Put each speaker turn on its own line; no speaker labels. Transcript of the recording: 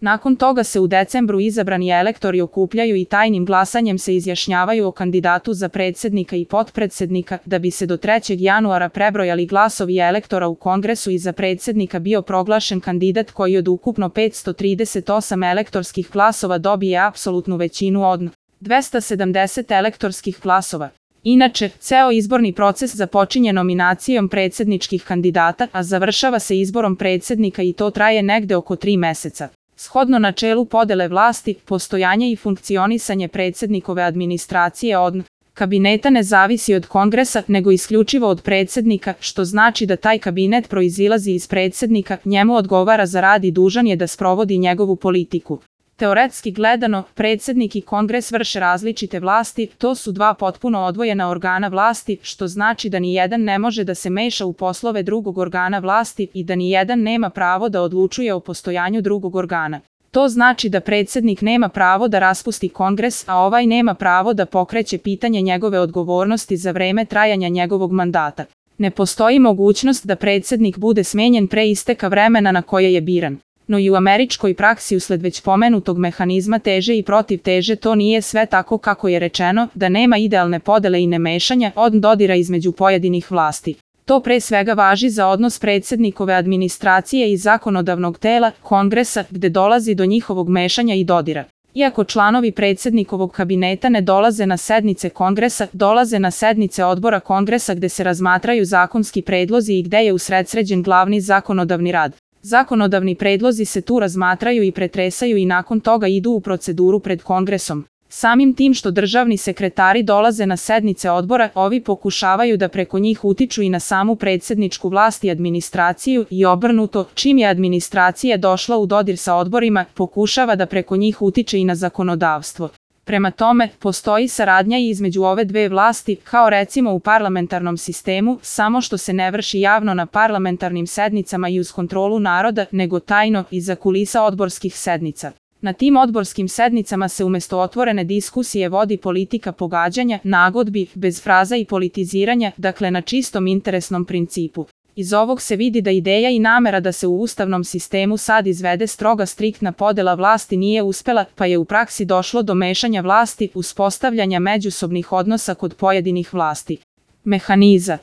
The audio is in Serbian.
Nakon toga se u decembru izabrani elektori okupljaju i tajnim glasanjem se izjašnjavaju o kandidatu za predsjednika i potpredsjednika, da bi se do 3. januara prebrojali glasovi elektora u kongresu i za predsjednika bio proglašen kandidat koji od ukupno 538 elektorskih glasova dobije apsolutnu većinu od 270 elektorskih glasova. Inače, ceo izborni proces započinje nominacijom predsjedničkih kandidata, a završava se izborom predsjednika i to traje negde oko 3 meseca. Shodno načelu podele vlasti, postojanje i funkcionisanje predsjednikove administracije od kabineta ne zavisi od kongresa, nego isključivo od predsjednika, što znači da taj kabinet proizilazi iz predsjednika, njemu odgovara za rad i dužan je da sprovodi njegovu politiku. Teoretski gledano, predsjednik i kongres vrše različite vlasti, to su dva potpuno odvojena organa vlasti, što znači da ni jedan ne može da se meša u poslove drugog organa vlasti i da ni jedan nema pravo da odlučuje o postojanju drugog organa. To znači da predsjednik nema pravo da raspusti kongres, a ovaj nema pravo da pokreće pitanje njegove odgovornosti za vreme trajanja njegovog mandata. Ne postoji mogućnost da predsjednik bude smenjen pre isteka vremena na koje je biran. No i u američkoj praksi usled već pomenutog mehanizma teže i protiv teže to nije sve tako kako je rečeno, da nema idealne podele i nemešanja od dodira između pojedinih vlasti. To pre svega važi za odnos predsjednikove administracije i zakonodavnog tela, kongresa, gde dolazi do njihovog mešanja i dodira. Iako članovi predsjednikovog kabineta ne dolaze na sednice kongresa, dolaze na sednice odbora kongresa gde se razmatraju zakonski predlozi i gde je usredsređen glavni zakonodavni rad. Zakonodavni predlozi se tu razmatraju i pretresaju i nakon toga idu u proceduru pred kongresom. Samim tim što državni sekretari dolaze na sednice odbora, ovi pokušavaju da preko njih utiču i na samu predsjedničku vlast i administraciju i obrnuto, čim je administracija došla u dodir sa odborima, pokušava da preko njih utiče i na zakonodavstvo. Prema tome, postoji saradnja i između ove dve vlasti, kao recimo u parlamentarnom sistemu, samo što se ne vrši javno na parlamentarnim sednicama i uz kontrolu naroda, nego tajno, iza kulisa odborskih sednica. Na tim odborskim sednicama se umjesto otvorene diskusije vodi politika pogađanja, nagodbi, bez fraza i politiziranja, dakle na čistom interesnom principu. Iz ovog se vidi da ideja i namera da se u ustavnom sistemu sad izvede stroga striktna podela vlasti nije uspela, pa je u praksi došlo do mešanja vlasti, uspostavljanja međusobnih odnosa kod pojedinih vlasti. Mehaniza